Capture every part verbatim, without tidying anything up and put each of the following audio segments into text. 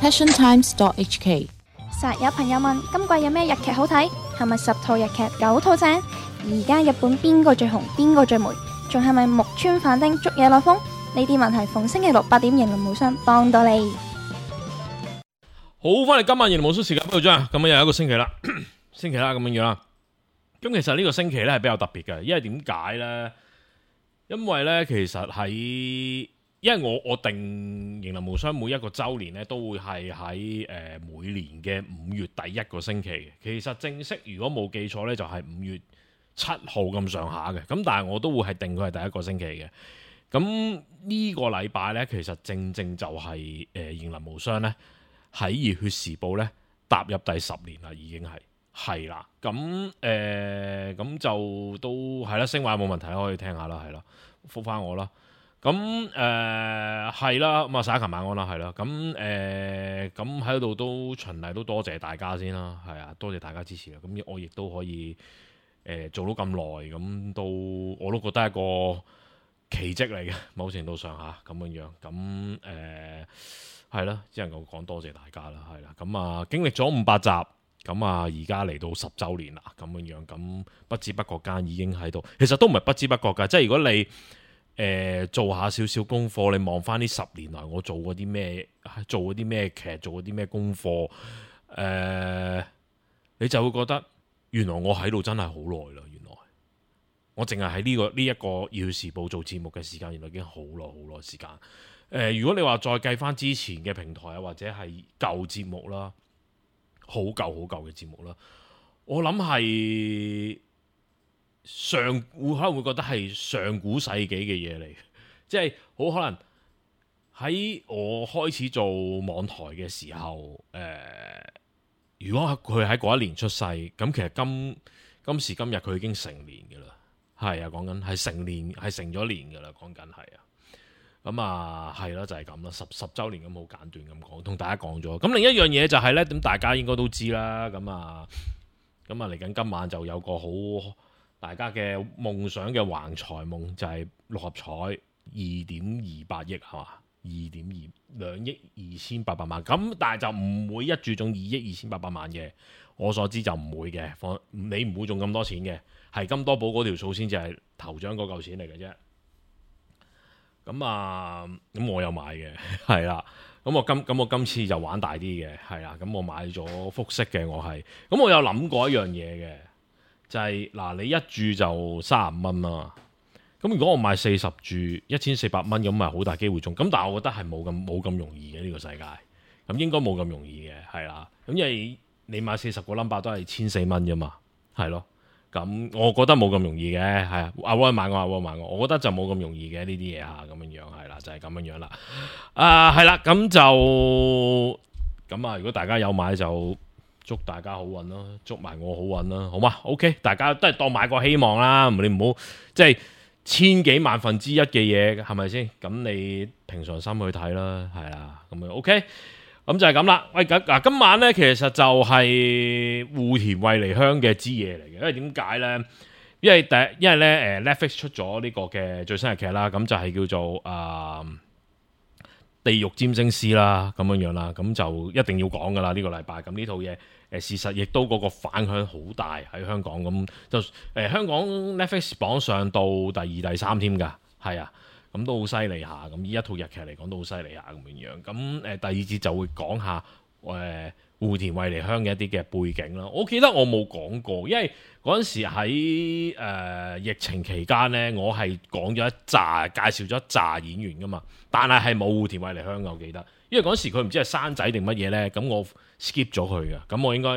passion times dot h k。 實有朋友問今季有咩日劇好睇，係咪十套日劇九套正？而家日本邊個最紅，邊個最霉？仲係咪木村反町捉野內風？呢啲問題逢星期六八點迎來無雙幫到你。好，翻嚟今晚迎來無雙時間，邊度張？咁又有一個星期啦，星期啦咁樣樣啦。咁其實呢個星期咧係比較特別嘅，因為點解咧？因為咧其實喺，因為我我定迎來無雙每一個周年咧都會係喺誒每年嘅五月第一個星期嘅。其實正式如果冇記錯咧就係五月七號咁上下嘅。咁但係我都會係定佢係第一個星期嘅。咁呢個禮拜咧其實正正就係誒迎來無雙咧喺熱血時報咧踏入第十年啦，已經係。係啦，咁誒咁就都係啦，聲話冇問題可以聽下啦，係啦，覆返我啦。咁誒係啦，咁啊撒一琴晚安啦，係啦。咁誒咁喺度都循例都多謝大家先啦，係啊，多謝大家支持啦。咁我亦都可以誒、呃、做到咁耐，咁都我都覺得係一個奇蹟嚟嘅，某程度上下咁樣樣。咁誒係啦，只能夠講多謝大家啦，係啦。咁啊經歷咗五百集。咁啊，而家嚟到十週年啦，咁樣樣，咁不知不覺間已經喺度。其實都唔係不知不覺㗎，即係如果你誒、呃、做下少少功課，你望翻呢十年來我做過啲咩，做過啲咩劇，做過啲咩功課，誒、呃，你就會覺得原來我喺度真係好耐啦。原來我淨係喺呢個呢一、這個《熱血時報》做節目嘅時間，原來已經好耐好耐時間。誒、呃，如果你話再計翻之前嘅平台啊，或者係舊節目啦。好舊好舊嘅節目啦，我諗係上會可能會覺得係上古世紀嘅嘢嚟，即係好可能喺我開始做網台嘅時候，誒、呃，如果佢喺嗰一年出世，咁其實今今時今日佢已經成年㗎啦，係啊，講緊係成年係成咗年㗎啦，講緊係啊。咁啊，係啦，就係咁啦，十十週年咁好簡短咁講，同大家講咗。咁另一樣嘢就係咧，咁大家應該都知啦。咁啊，咁啊嚟緊今晚就有個好大家嘅夢想嘅橫財夢，就係、是、六合彩二點二八億係嘛，二點二兩億二千八百萬。咁但係就唔會一注中二億二千八百萬嘅，我所知就唔會嘅。放你唔會中咁多錢嘅，係金多寶嗰條數先至係頭獎嗰嚿錢嚟嘅啫。咁啊，咁我有買嘅，係啦。咁我今咁我今次就玩大啲嘅，係啦。咁我買咗複式嘅，我係。咁我有諗過一樣嘢嘅，就係、是、嗱，你一注就三十五蚊啦。咁如果我買四十注，一千四百蚊，咁咪好大機會中。咁但係我覺得係冇咁冇咁容易嘅呢、這個世界。咁應該冇咁容易嘅，係啦。咁因為你買四十個 number 都係千四蚊啫嘛，係咯。咁我覺得冇咁容易嘅，係啊，阿威買我，阿威買我，我覺得就冇咁容易嘅呢啲嘢嚇，咁樣樣係啦，就係、是、咁樣樣啦。啊，係啦，咁就咁啊！如果大家有買就祝大家好運咯，祝埋我好運啦，好嘛 ？OK， 大家都係當買個希望啦，你唔好即係千幾萬分之一嘅嘢，係咪先？咁你平常心去睇啦，係啦，咁樣 OK。咁就係咁啦。喂，嗱，今晚咧其實就係戶田惠梨香嘅之夜嚟嘅，因為點解咧？因為第，因為咧，誒 Netflix 出咗呢個嘅最新日劇啦，咁就係叫做啊、呃《地獄占星師》啦，咁樣樣啦，咁就一定要講噶啦呢個禮拜。咁呢套嘢誒事實亦都嗰個反響好大喺香港，咁就誒、呃、香港 Netflix 榜上到第二、第三添㗎，係啊。咁都好犀利下，咁呢一套日劇嚟講都好犀利下咁樣樣。咁誒第二節就會講下誒戶田惠梨香嘅一啲嘅背景啦。我記得我冇講過，因為嗰陣時喺誒、呃、疫情期間咧，我係講咗一紮介紹咗一紮演員噶嘛，但係係冇戶田惠梨香嘅，我記得。因為嗰陣時佢唔知係生仔定乜嘢咧，咁我 skip 咗佢嘅，咁我應該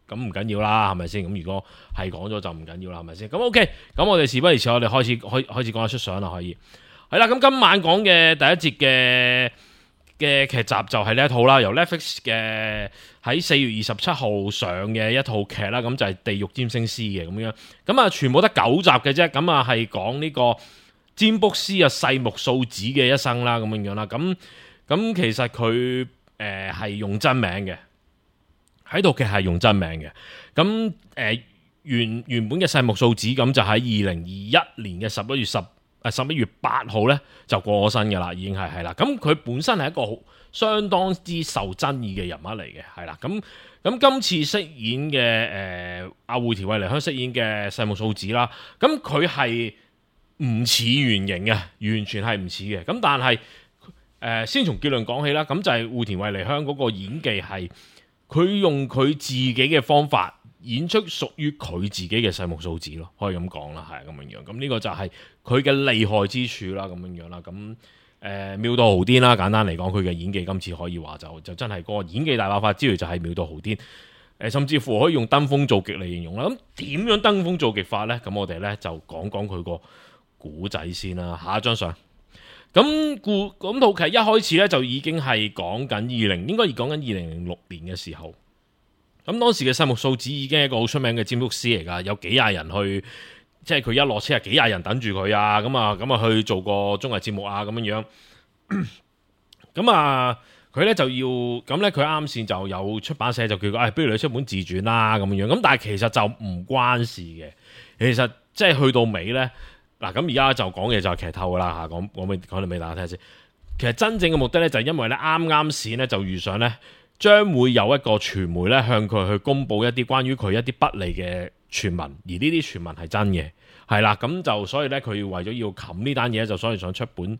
咁唔緊要啦，係咪先？咁如果係講咗就唔緊要啦，係咪先？咁 OK，咁我哋事不宜遲，我哋開始開開始講下出相啦，可以係啦。咁今晚講嘅第一節嘅嘅劇集就係呢一套啦，由 Netflix 嘅喺四月二十七號上嘅一套劇啦，咁就係《地獄占星師》嘅咁樣，咁啊全部得九集嘅啫，咁啊係講呢個占卜師啊細木素子嘅一生啦，咁樣樣啦，咁咁其實佢誒係用真名嘅。喺度嘅係用真名嘅，咁誒、呃、原原本嘅細木素子咁就喺二零二一年嘅十一月十誒十一月八號咧就過咗身㗎啦，已經係係啦。咁佢本身係一個好相當之受爭議嘅人物嚟嘅，係啦。咁咁今次飾演嘅誒阿戶田惠梨香飾演嘅細木素子啦，咁佢係唔似原型嘅，完全係唔似嘅。咁但係誒、呃、先從結論講起啦，咁就係戶田惠梨香嗰個演技係佢用佢自己嘅方法演出屬於佢自己嘅細木素子咯，可以咁講啦，係咁樣樣。咁呢個就係佢嘅厲害之處啦，咁樣樣啦。咁誒、呃、妙到豪癲啦，簡單嚟講，佢嘅演技今次可以話就就真係嗰個演技大爆發之餘，就係妙到豪癲。誒、呃，甚至乎可以用登峰造極嚟形容啦。咁點樣登峰造極法呢？咁我哋呢就講講佢個古仔先啦。下一張相。咁故咁套劇一開始咧就已經係講緊二零，應該係講緊二零零六年嘅時候。咁當時嘅細木素子已經係一個好出名嘅占卜師嚟噶，有幾廿人去，即係佢一落車係幾廿人等住佢啊，咁啊咁啊去做個綜藝節目啊咁樣樣。咁啊佢咧就要咁咧，佢啱先就有出版社就叫佢，哎，不如你出本自傳啦咁樣樣。咁但係其實就唔關事嘅，其實即係去到尾咧。嗱，咁而家就講嘅就係劇透噶啦嚇，講講俾講嚟俾大家聽先。其實真正嘅目的咧，就係因為咧啱啱先咧就遇上咧，將會有一個傳媒咧向佢去公佈一啲關於佢一啲不利嘅傳聞，而呢啲傳聞係真嘅，係啦。咁就所以咧，佢為咗要冚呢單嘢，就所以想出本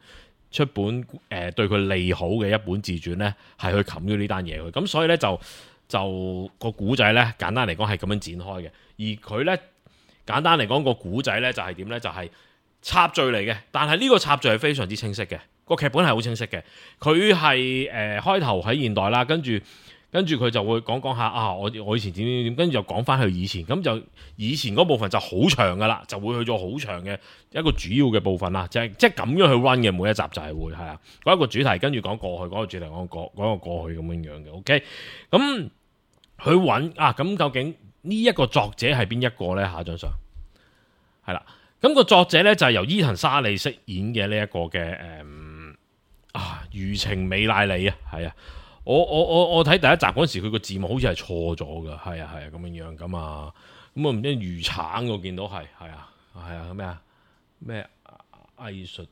出本誒、呃、對佢利好嘅一本自傳咧，係去冚咗呢單嘢佢。咁所以咧就就個古仔咧，簡單嚟講係咁樣展開嘅，而佢咧。簡單嚟講，個古仔咧就係點咧？就係、是、插敘嚟嘅，但係呢個插敘係非常之清晰嘅，個劇本係好清晰嘅。佢係誒開頭喺現代啦，跟住跟住佢就會講講下啊，我我以前點點點，跟住就講翻去以前，咁就以前嗰部分就好長噶啦，就會去咗好長嘅一個主要嘅部分啦，就係即係咁樣去 run 嘅，每一集就係會係啊，嗰一個主題跟住講過去，嗰、那個主題講過講個過去咁樣樣嘅。OK，咁佢揾啊，咁究竟？呢一個作者係邊一個呢？下一張相係啦，咁、那個作者呢，就係、是、由伊藤沙莉飾演嘅呢一個嘅誒、嗯、啊，餘情美奈里啊，係啊，我我我我睇第一集嗰時，佢個字幕好似係錯咗噶，係啊係啊咁樣樣咁啊，咁啊唔知魚橙我見到係係啊係啊咩啊咩藝術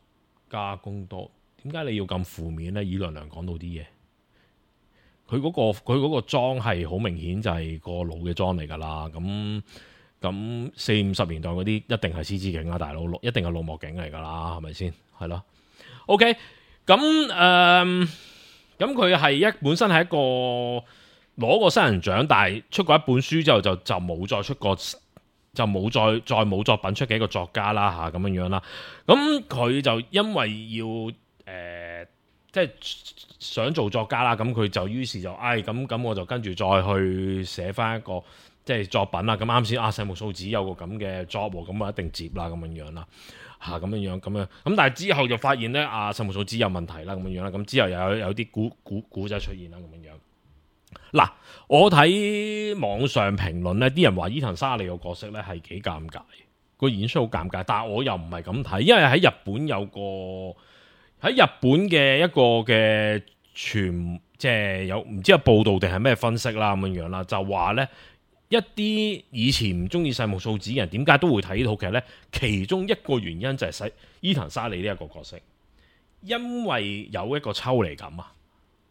加工多，點解你要咁負面呢？以娘娘講到啲嘢。佢嗰、那個佢嗰個妝係好明顯就係個老嘅妝嚟㗎啦，咁咁四五十年代嗰啲一定係獅子警啊，大佬，一定係老幕警嚟㗎啦，係咪先？係咯 ，OK，咁誒，咁佢係一本身係一個攞過新人獎，但係出過一本書之後就就冇再出過，就冇再再冇作品出嘅一個作家啦嚇，咁樣樣啦。咁佢就因為要誒。呃即係想做作家啦，咁佢就於是就，唉、哎，咁咁我就跟住再去寫翻一個即係作品啦。咁啱先啊，細木素子有個咁嘅 job 喎，咁啊一定接啦，咁樣樣啦，嚇咁樣樣咁樣。咁但係之後就發現咧，啊細木素子有問題啦，咁樣樣啦。咁之後又有有啲古古古仔出現啦，咁樣樣。嗱，我睇網上評論咧，啲人話伊藤沙莉個角色咧係幾尷尬，個演出好尷尬，但係我又唔係咁睇，因為喺日本有個。喺日本嘅一個嘅傳，即係有唔知有報道定係咩分析啦咁樣樣啦，就話咧一啲以前唔中意細木素子嘅人點解都會睇呢套劇咧？其中一個原因就係使伊藤沙莉呢一個角色，因為有一個抽離感啊，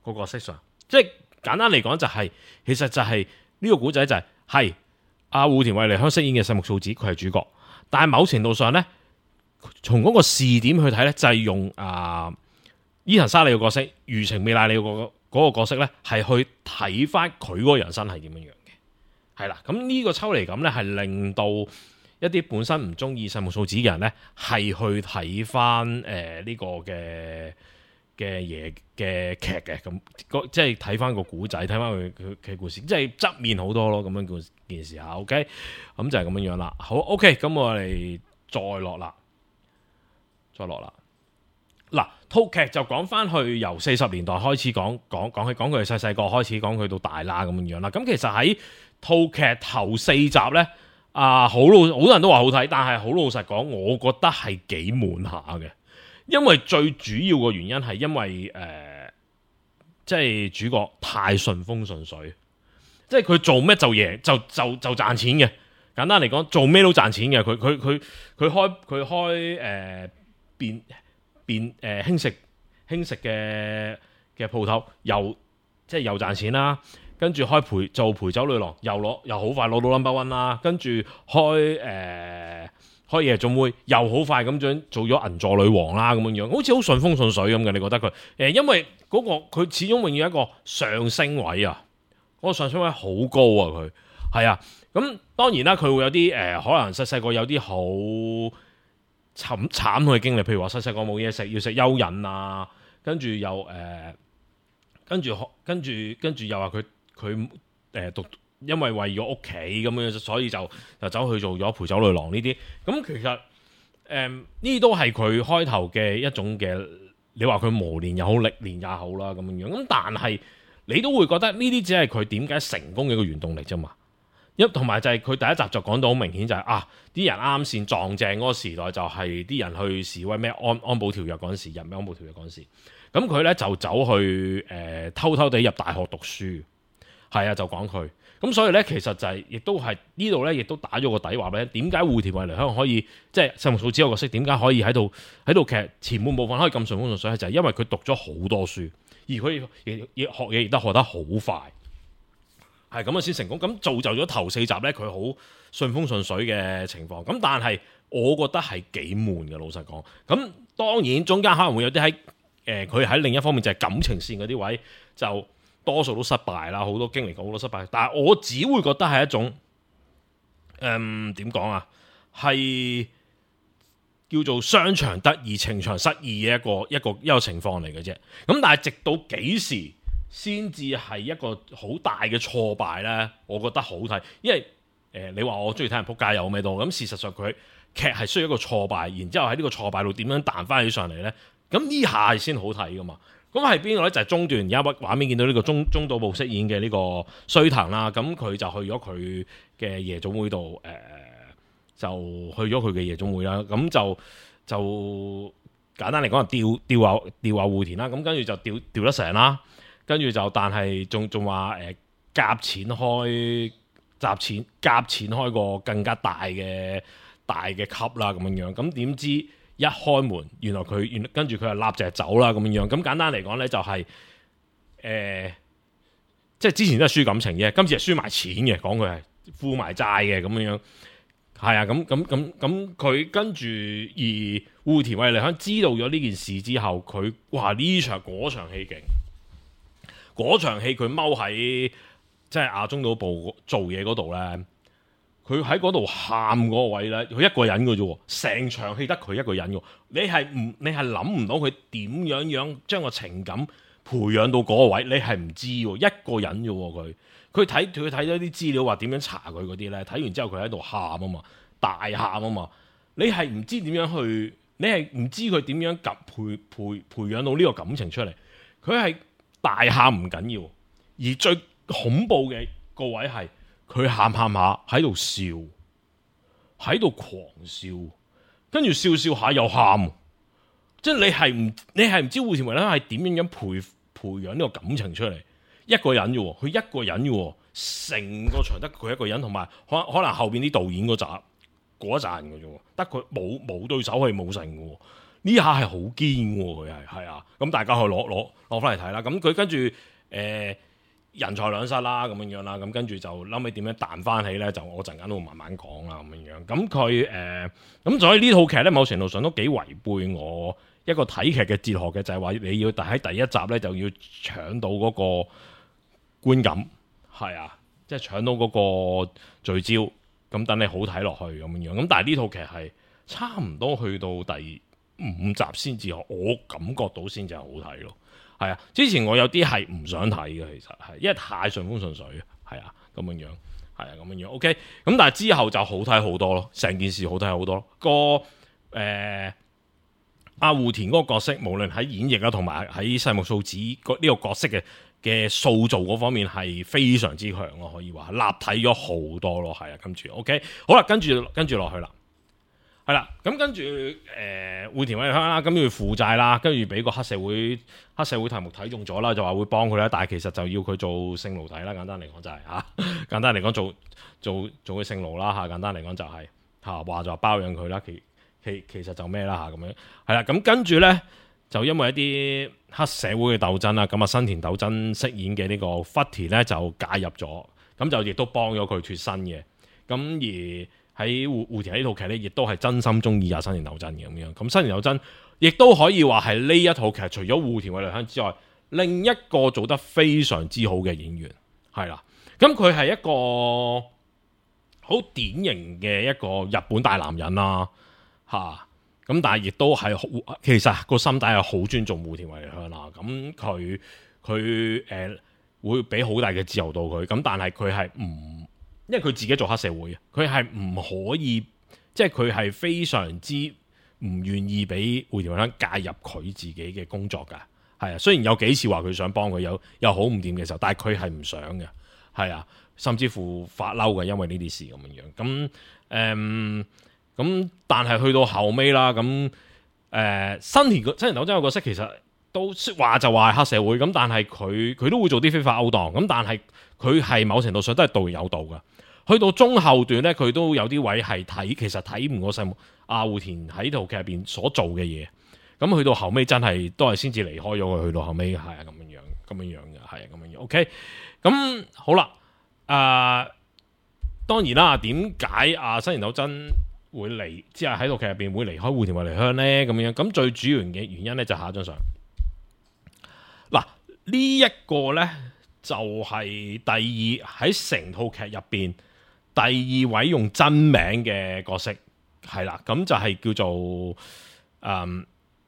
個角色上，即係簡單嚟講就係、是，其實就係、是、呢、這個古仔就係係阿戶田惠梨香飾演嘅細木素子，佢係主角，但係某程度上咧。從嗰個視點去睇咧，就係、是、用啊、呃、伊藤沙莉嘅角色，餘情美奈里嗰個角色咧，係去睇翻佢嗰個人生係點樣樣嘅，係啦。咁呢個抽離感咧，係令到一啲本身唔中意細木素子嘅人咧，係去睇翻誒呢個嘅嘅嘢嘅劇嘅，咁即係睇翻個古仔，睇翻佢佢嘅故事，即係側面好多咯，咁樣件件事嚇。OK，咁就係咁樣樣啦。好 OK，咁我哋再落啦。再落啦，嗱，套劇就講翻去由四十年代開始講講講起，講佢細細個開始，講佢到大啦咁樣樣啦。咁其實喺套劇頭四集咧，啊好老好多人都話好睇，但係好老實講，我覺得係幾悶下嘅。因為最主要嘅原因係因為誒、呃，即係主角太順風順水，即係佢做咩就贏就就就賺錢嘅。簡單嚟講，做咩都賺錢嘅。佢佢佢佢開佢開誒。變變誒輕食輕食嘅嘅鋪頭又即係又賺錢啦，跟住開陪做陪酒女郎又攞又好快攞到 number one 啦，跟住開誒、呃、開夜總會又好快咁樣做咗銀座女王啦咁樣樣，好似好順風順水咁嘅。你覺得佢誒、呃、因為嗰、那個佢始終永遠一個上升位啊，嗰、那個上升位好高啊，佢係啊。咁當然啦，佢會有啲誒、呃、可能細細個有啲好慘慘嘅經歷，譬如話細細個冇嘢食要食蚯蚓啊，跟住又誒。呃跟住跟住跟住又話佢佢誒讀，因為為咗屋企咁樣，所以就就走去做咗陪酒女郎呢啲。咁其實誒呢啲都係佢開頭嘅一種嘅，你話佢磨練又好，歷練也好啦咁樣樣。咁但係你都會覺得呢啲只係佢點解成功嘅一個原動力啫嘛。一同埋就係佢第一集就講到好明顯就係、是、啊啲人啱先撞正嗰個時代，就係啲人去示威咩安安保條約嗰陣時，入咩安保條約嗰陣時。咁佢咧就走去誒、呃、偷偷地入大學讀書，係啊，就講佢咁，所以咧其實就係、是、亦都係呢度咧，亦都打咗個底話俾你，點解戶田惠梨香可以即係細木數子個角色，點解可以喺度喺度劇前半部分可以咁順風順水，就係、是、因為佢讀咗好多書，而佢亦亦學嘢亦都學得好快，係咁啊先成功。咁造就咗頭四集咧，佢好順風順水嘅情況。咁但係我覺得係幾悶嘅，老實講。咁當然中間可能會有啲喺。誒佢喺另一方面就係感情線嗰啲位就多數都失敗啦，好多經歷過好多失敗，但係我只會覺得係一種誒點講啊，係叫做商場得意情場失意嘅一個一個一個情況嚟嘅啫。咁但係直到幾時先至係一個好大嘅挫敗咧？我覺得好睇，因為誒、呃、你話我中意睇人撲街有咩多？咁事實上佢劇係需要一個挫敗，然之後喺呢個挫敗度點樣彈翻起上嚟咧？咁呢下係先好睇噶嘛？咁係邊個咧？就係、是、中段而家畫面見到呢個中中島部飾演嘅呢個須藤啦。咁佢就去咗佢嘅夜總會度，誒、呃、就去咗佢嘅夜總會啦。咁就就簡單嚟講，係吊吊下吊下戶田啦。咁跟住就吊吊得成啦。跟住就但係仲仲話誒夾錢開夾錢夾錢開個更加大嘅大嘅級啦咁樣樣。咁點知？一開門，原來佢原跟住佢就立隻走啦咁樣樣。咁簡單嚟講咧，就係、是、誒、呃，即係之前都係輸感情嘅，今次係輸埋錢嘅。講佢係負埋債嘅咁樣樣，係啊。咁咁咁咁，佢跟住而戶田惠梨香知道咗呢件事之後，佢哇呢場嗰場戲勁，嗰場戲佢踎喺即係亞中島部做嘢嗰度咧。佢喺嗰度喊嗰個位咧，佢一個人嘅啫，成場戲得佢一個人嘅。你係唔你係諗唔到佢點樣樣將個情感培養到嗰個位，你係唔知喎，一個人啫喎佢。佢睇佢睇咗啲資料話點樣查佢嗰啲咧，睇完之後佢喺度喊啊嘛，大喊啊嘛。你係唔知點樣去，你係唔知佢點樣及培培培養到呢個感情出嚟。佢係大喊唔緊要，而最恐怖嘅個位係。佢喊喊下喺度笑，喺度狂笑，跟住笑笑下又喊，即係你係唔你係唔知戶田惠梨香係點樣樣培培養呢個感情出嚟？一個人嘅，佢一個人嘅，成個場得佢一個人，同埋可可能後邊啲導演嗰集嗰一陣嘅啫，得佢冇冇對手係冇成嘅，呢下係好堅嘅，佢係係啊，咁大家去攞攞攞翻嚟睇啦。咁佢跟住誒。呃人財兩失啦，咁樣樣啦，咁跟住就諗起點樣彈翻起咧，就我陣間都會慢慢講啦，咁樣樣。咁佢誒，咁所以呢套劇咧，某程度上都幾違背我一個睇劇嘅哲學嘅，就係、是、話你要喺第一集咧就要搶到嗰個觀感，係啊，即係搶到嗰個聚焦，咁等你好睇落去咁樣樣。咁但係呢套劇係差唔多去到第五集先至，我感覺到先至係好睇咯。係啊，之前我有啲係唔想睇嘅，其實係因為太順風順水，係啊咁樣樣，係啊咁樣樣。OK，咁但係之後就好睇好多咯，成件事好睇好多咯。個誒阿戶田嗰個角色，無論喺演繹啊，同埋喺細木素子呢個角色嘅嘅塑造嗰方面係非常之強咯，可以話立體咗好多咯。係啊，跟住 OK， 好啦，跟住跟住落去啦。係啦，咁跟住誒戶田惠梨香啦，跟住負債啦，跟住俾個黑社會黑社會頭目睇中咗啦，就話會幫佢啦，但係其實就要佢做性奴隸啦，簡單嚟講就係、是、嚇、啊，簡單嚟講做做做佢性奴啦嚇，簡單嚟講就係嚇話就話包養佢啦，其其其實就咩啦嚇咁樣，係啦，咁跟住咧就因為一啲黑社會嘅鬥爭啦，咁啊新田斗真飾演嘅呢個 Footy 咧就介入咗，咁就亦都幫咗佢脫身嘅。咁而喺戶戶田呢套劇咧，亦都係真心中意阿新田斗真嘅咁樣。咁新田斗真亦都可以話係呢一套劇除咗戶田惠梨香之外，另一個做得非常之好嘅演員係啦。咁佢係一個好典型嘅一個日本大男人啦，嚇、啊。咁但係亦都係好，其實個心底係好尊重戶田惠梨香啦。咁佢佢誒會俾好大嘅自由度佢。咁但係佢係唔，因為佢自己做黑社會，佢係唔可以，即係佢係非常之唔願意俾戶田惠梨香介入佢自己嘅工作㗎。係啊，雖然有幾次話佢想幫佢，有有好唔掂嘅時候，但係佢係唔想嘅。係啊，甚至乎發嬲嘅，因為呢啲事咁樣樣。咁誒。嗯咁但係去到後尾啦，咁誒、呃、新田新田斗真個角色其實都說話就話係黑社會，咁但係佢佢都會做啲非法勾當，咁但係佢係某程度上都係道有道噶。去到中後段咧，佢都有啲位係睇，其實睇唔過細阿戶田喺套劇入邊所做嘅嘢。咁去到後尾真係都係先至離開咗佢，去到後尾係啊咁樣樣，咁樣樣嘅係啊咁樣樣。OK，咁好啦，誒、呃、當然啦，點解阿新田斗真會離，即係喺套劇入邊會離開戶田惠梨香咧咁樣，咁最主要嘅原因咧就下一張相。嗱，呢一個咧就係第二喺成套劇入邊第二位用真名嘅角色，係啦，咁就係叫做誒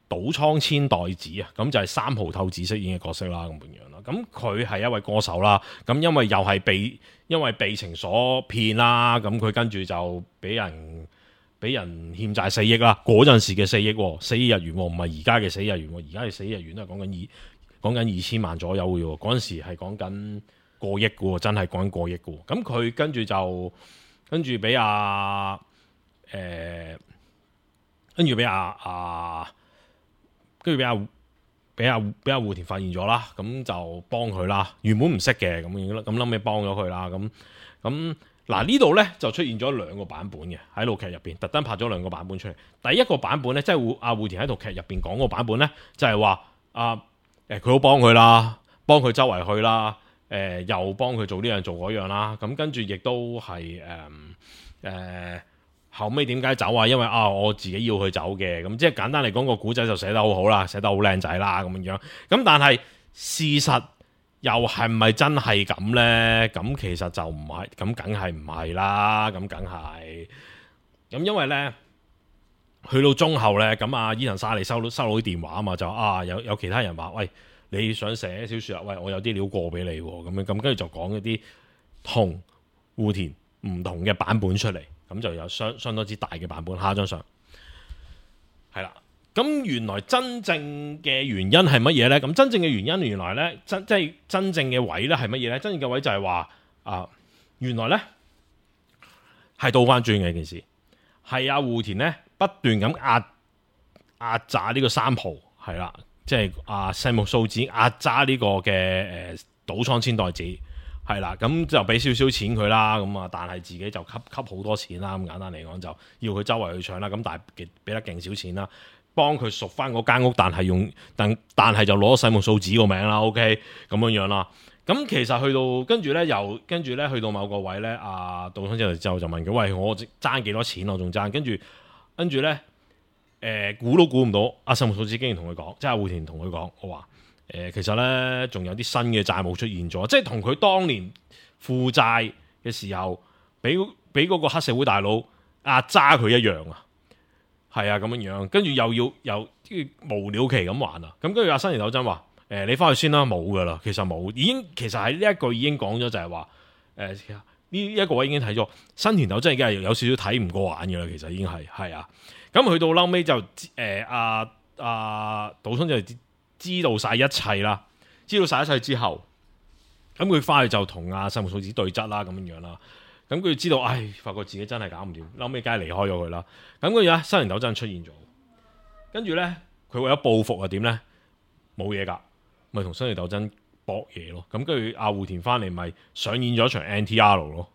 島倉千代子啊，咁就係三浦透子飾演嘅角色啦，咁樣樣啦。咁佢係一位歌手啦，咁因為又係被因為被情所騙啦，咁佢跟住就俾人。俾人欠債四億啦，嗰陣時嘅四億，四億日元，唔係而家嘅四億日元，而家嘅四億日元都係講緊二講緊二千萬左右嘅喎，嗰陣時係講緊過億嘅喎，真係講緊過億嘅喎。咁佢跟住就跟住俾阿誒，跟住俾阿阿，跟住俾阿俾阿俾阿戶田發現咗啦，咁就幫佢啦。原本唔識嘅咁樣啦，咁後尾幫咗佢啦，咁咁。嗱，呢度咧就出現咗兩個版本嘅喺套劇入邊，特登拍咗兩個版本出嚟。第一個版本咧，即係阿戶田喺套劇入邊講個版本咧，就係話啊誒佢好幫佢啦，幫佢周圍去啦，誒、呃、又幫佢做呢樣做嗰樣啦。咁跟住亦都係誒誒後尾點解走啊？因為啊我自己要去走嘅，咁即係簡單嚟講個古仔就寫得好好啦，寫得好靚仔啦咁樣樣。咁但係事實。又係咪真係咁呢？咁其實就唔係，咁梗係唔係啦。咁梗係，咁因為呢，去到中後呢，咁阿伊藤沙莉收到收到啲電話啊嘛，就啊有有其他人話，喂，你想寫小説啊？喂，我有啲料過俾你喎，咁樣咁跟住就講一啲同戶田唔同嘅版本出嚟，咁就有相相當之大嘅版本。下一張相係啦。咁原來真正嘅原因係乜嘢呢？咁真正嘅原因原來呢，真即係真正嘅位呢係乜嘢呢？真正嘅位就係話啊，原來呢係倒翻轉嘅一件事，係阿戶田呢不斷咁壓壓榨呢個三浦，係啦，即係阿細木素子壓榨呢個嘅誒島倉千代子，係啦，咁就俾少少錢佢啦，咁啊，但係自己就吸吸好多錢啦，咁簡單嚟講就要佢周圍去搶啦，咁但係俾得勁少錢啦。幫佢贖翻嗰間屋，但係用但但係就攞細木素子個名啦 ，OK 咁樣樣啦。咁其實去到跟住咧，又跟住咧去到某個位咧，阿島倉之後就就問佢：喂，我爭幾多錢？我仲爭。跟住跟住咧，誒、呃、估都估唔到，阿細木素子竟然同佢講，即係戶田同佢講，我話誒、呃、其實咧仲有啲新嘅債務出現咗，即係同佢當年負債嘅時候，俾俾嗰個黑社會大佬壓揸佢一樣啊！係啊，咁樣樣，跟住又要又無了期咁還啊！咁跟住阿新田斗真話：誒、呃，你翻去先啦，冇噶啦，其實冇，已經其實喺呢一句已經講咗，就係話誒呢一個位已經睇咗，新田斗真已經係有少少睇唔過眼噶啦，其實已經係係啊。咁去到後尾就誒阿阿島倉就知道晒一切啦，知道晒一切之後，咁佢翻去就同阿細木素子對質啦，咁樣樣啦。咁佢知道，唉，發覺自己真係搞唔掂，後尾梗係離開咗佢啦。咁跟住咧，新田斗真出現咗，跟住咧，佢為咗報復啊，點咧？冇嘢噶，咪同新田斗真搏嘢咯。咁跟住阿戶田翻嚟，咪上演咗一場 N T R 咯。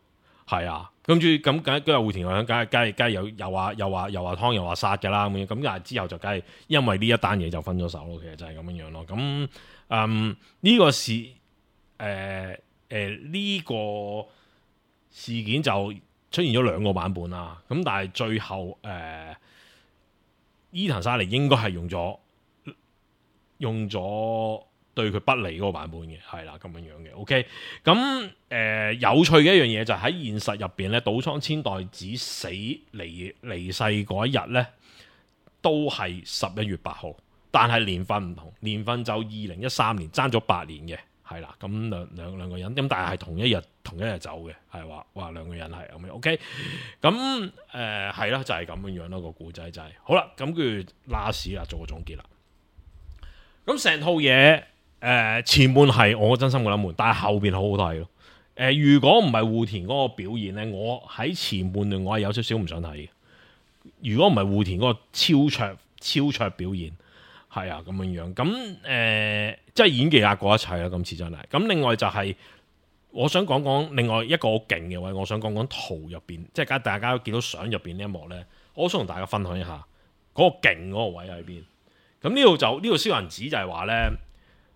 係啊，跟住咁梗跟住戶田惠香梗係梗係梗係又又話又話又話湯又話殺㗎啦咁樣，咁但係之後就梗係因為呢一單嘢就分咗手咯，其實就係咁樣樣咯。咁嗯呢、這個事誒誒呢個事件就出現咗兩個版本啦。咁但係最後誒、呃、伊藤沙莉應該係用咗用咗對佢不利嗰個版本嘅，係啦咁樣樣嘅。OK， 咁誒、呃、有趣嘅一樣嘢就係喺現實入邊咧，島倉千代子死離離世嗰一日咧，都係十一月八號，但係年份唔同，年份就二零一三年，爭咗八年嘅，係啦。咁兩兩兩個人，咁但係係同一日同一日走嘅，係話話兩個人係咁樣。OK， 咁誒係啦，就係、是、咁樣樣咯，個故仔就係、是、好啦。咁跟住 last 啦，做個總結啦。咁成套嘢。誒、呃、前半係我真心覺得悶，但係後邊好好睇咯。誒、呃、如果唔係戶田嗰個表現咧，我喺前半段我係有少少唔想睇嘅。如果唔係戶田嗰個超卓超卓表現，係啊咁樣樣。咁誒、呃、即係演技壓過一切啦，今次真係。咁另外就係、是、我想講講另外一個好勁嘅位，我想講講圖入邊，即係大家都見到相入邊呢一幕咧，我想同大家分享一下嗰、那個勁嗰個位喺邊。咁呢度就呢度燒銀紙就係話咧。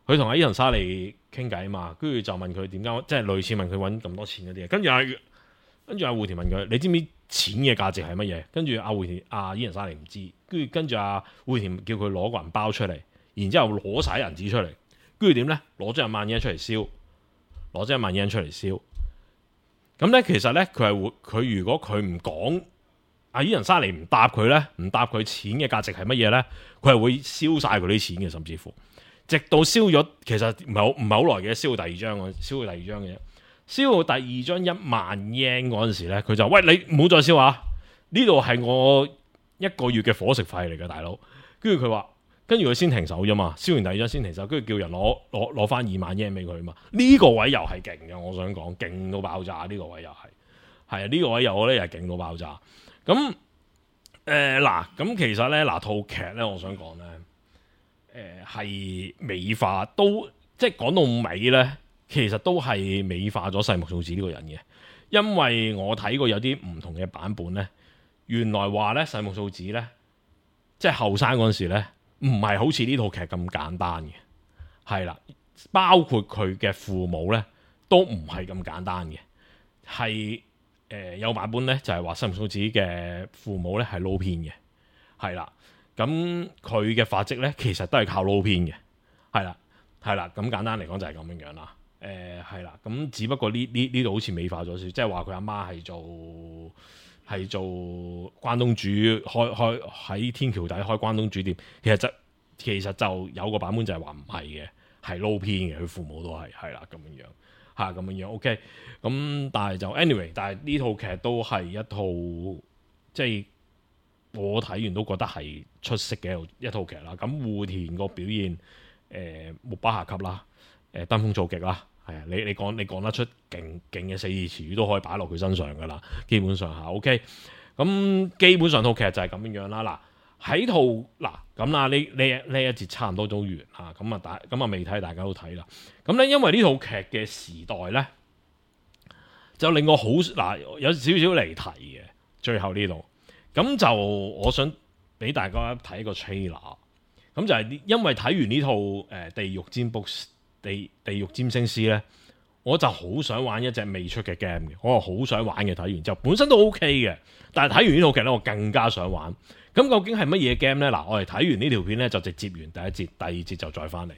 佢同阿伊藤沙莉傾偈嘛，跟住就問佢點解，即係類似問佢揾咁多錢嗰啲嘢。跟住阿跟住阿戶田問佢：你知唔知錢嘅價值係乜嘢？跟住阿戶田阿伊藤沙莉唔知，跟住跟住阿戶田叫佢攞個銀包出嚟，然之後攞晒銀紙出嚟，跟住點咧？攞咗一萬日圓出嚟燒，攞咗一萬日圓出嚟燒。咁咧其實咧佢係會佢如果佢唔講，阿伊藤沙莉唔答佢咧，唔答佢錢嘅價值係乜嘢咧，佢係會燒晒佢啲錢嘅，甚至乎。直到燒咗，其實唔係好唔係好耐嘅，燒到第二張嘅，燒到第二張嘅啫。燒到第二張一萬 yen 嗰陣時咧，佢就喂，你唔好再燒啊！呢度係我一個月嘅伙食費嚟嘅，大佬。跟住佢話，跟住佢先停手啫嘛。燒完第二張先停手，跟住叫人攞攞攞翻二萬 yen 俾佢嘛。呢、這個位又係勁嘅，我想講勁到爆炸。呢、這個位又係係啊，呢、這個位又我咧又係勁到爆炸。咁誒嗱，咁、呃、其實咧嗱套劇咧，我想講咧。誒係、呃、美化，都即係講到尾咧，其實都係美化咗細木素子呢個人嘅，因為我睇過有啲唔同嘅版本咧，原來話咧細木素子咧，即係後生嗰陣時咧，唔係好似呢套劇咁簡單嘅，係啦，包括佢嘅父母咧，都唔係咁簡單嘅，係誒、呃、有版本咧就係話細木素子嘅父母咧係撈偏嘅，係啦。咁佢嘅發跡咧，其實都係靠撈偏嘅，係啦，係啦，咁簡單嚟講就係咁樣樣啦。誒係啦，咁只不過呢呢呢度好似美化咗少，即係話佢阿媽係做係做關東煮，開開喺天橋底開關東煮店。其實就其實就有個版本就係話唔係嘅，係撈偏嘅，佢父母都係係啦咁樣樣嚇咁樣樣。OK，咁但係就 anyway，但係呢套劇都係一套即係。我睇完都覺得係出色嘅一套劇啦。咁戶田個表現，誒、呃、目不暇給啦，誒、呃、登峰造極啦，係啊！你你講你講得出勁勁嘅四字詞語都可以擺落佢身上噶啦，基本上嚇 OK。咁基本上套劇就係咁樣樣啦。嗱喺套嗱咁啦，呢呢呢一節差唔多都完嚇，咁啊大咁啊未睇大家都睇啦。咁咧因為呢套劇嘅時代咧，就令我好嗱有少少離題嘅最後呢度。咁就我想俾大家睇個 trailer， 咁就係因為睇完呢套誒、呃、地獄占卜地地獄占星師咧，我就好想玩一隻未出嘅 game 嘅，我係好想玩嘅。睇完之後本身都 OK 嘅，但係睇完呢套劇咧，我更加想玩。咁究竟係乜嘢 game 咧？嗱，我哋睇完呢條片咧就直接完第一節，第二節就再翻嚟。